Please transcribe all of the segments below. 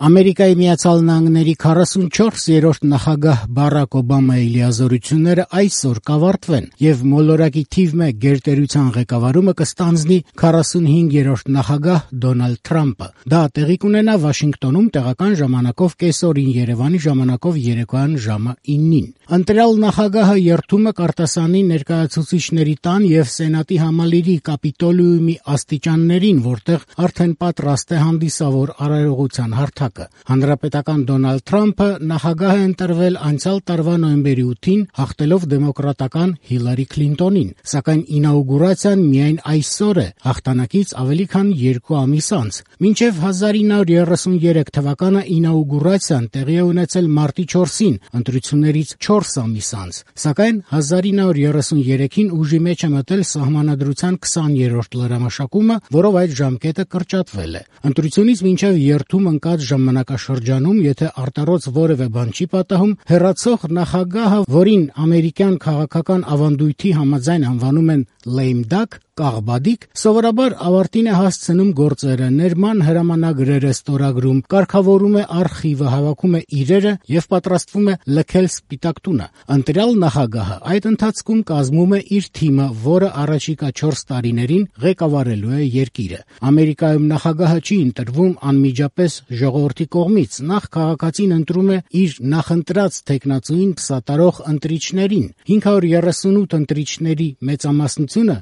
Ամերիկայի Միացյալ Նահանգների 44-րդ նախագահ Բարաք Օբամայի լիազորությունները այսօր կավարտվեն եւ մոլորակի թիվ 1 գերտերության ղեկավարումը կստանձնի 45-րդ նախագահ Դոնալդ Թրամփը։ Դա տեղի կունենա Վաշինգտոնում տեղական ժամանակով կեսօրին, Երևանի ժամանակով երեկոյան ժամը 9-ին։ Ընտրյալ նախագահը երթումը կարտասանի ներկայացուցիչների տան եւ Սենատի համալիրի Կապիտոլիումի աստիճաններին, որտեղ արդեն պատրաստ է հանդիսավոր արարողության հարթակը։ Հանրապետական Դոնալդ Թրամփը նախագահ է ընտրվել անցյալ տարվա նոյեմբերի 8-ին, հաղթելով դեմոկրատական Հիլարի Քլինտոնին, սակայն ինաուգուրացիան միայն այսօր է, հաղթանակից ավելի քան 2 ամիս անց։ Մինչև 1933 թվականը ինաուգուրացիան տեղի է ունեցել մարտի 4-ին, ընտրություններից 4 ամիս անց, սակայն 1933-ին ուժի մեջ է մտել Սահմանադրության 20-րդ լրամշակումը, որով այդ ժամկետը կրճատվել է։ Ընտրությունից մինչև երթում ընկած ժամանակաշրջանում, եթե արտառոց որևէ բան չի պատահում, հեռացող նախագահը, որին ամերիկյան քաղաքական ավանդույթի համաձայն անվանում են lame duck, կաղբադիկ, սովորաբար ավարտին է հասցնում գործերը, ներման հրամանագրերը ստորագրում, կարգավորում է արխիվը, հավաքում է իրերը եւ պատրաստվում է լքել սպիտակ տունը։ Ընտրյալ նախագահը այդ ընթացքում կազմում է իր թիմը, որը առաջիկա 4 տարիներին ղեկավարելու է երկիրը։ Ամերիկայում նախագահը չի ընտրվում անմիջապես ժողովրդի կողմից, նախ քաղաքացին ընտրում է իր նախընտրած թեկնածուին սատարող ընտրիչներին։ 538 ընտրիչների մեծամասնությունը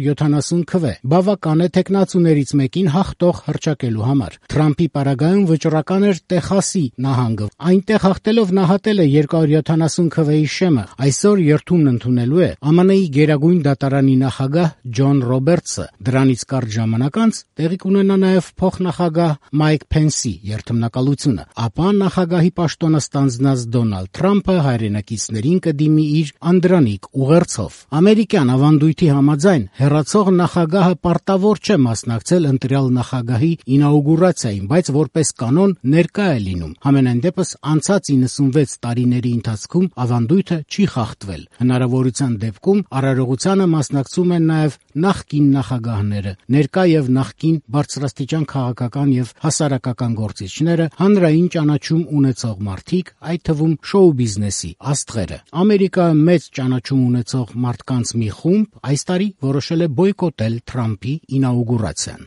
270 քվ է, բավական է թեկնածուներից մեկին հաղթող հռչակելու համար։ Թրամփի պարագայում վճռական էր Տեխասի նահանգը։ Այնտեղ հաղթելով նա հատել է 270 քվեի շեմը։ Այսօր երթումն ընդունելու է ԱՄՆ-ի Գերագույն դատարանի նախագահ Ջոն Ռոբերտսը։ Դրանից կարճ ժամանակ անց տեղի կունենա նաև փոխնախագահ Մայք Փենսի երթմնակալությունը։ Ապա նախագահի պաշտոնը ստանձնած Դոնալդ Թրամփը հայրենակիցներին կդիմի իր անդրանիկ ուղերձով։ Ամերիկյան ավանդույթի համաձայն հեռացող նախագահը պարտավոր չէ մասնակցել ընտրյալ նախագահի ինաուգուրացիային, բայց որպես կանոն ներկա է լինում։ Համենայն դեպս անցած 96 տարիների ընթացքում ավանդույթը չի խախտվել։ Հնարավորության դեպքում արարողությանը մասնակցում են նաև նախկին նախագահները, ներկա եւ նախկին բարձրաստիճան քաղաքական եւ հասարակական գործիչները, հանրային ճանաչում ունեցող մարդիկ, այդ թվում շոու բիզնեսի աստղերը։ Ամերիկայում մեծ ճանաչում ունեցող մարդկանց մի խումբ այս տարի որոշել է բոյկոտել Թրամփի ինաուգուրացիան։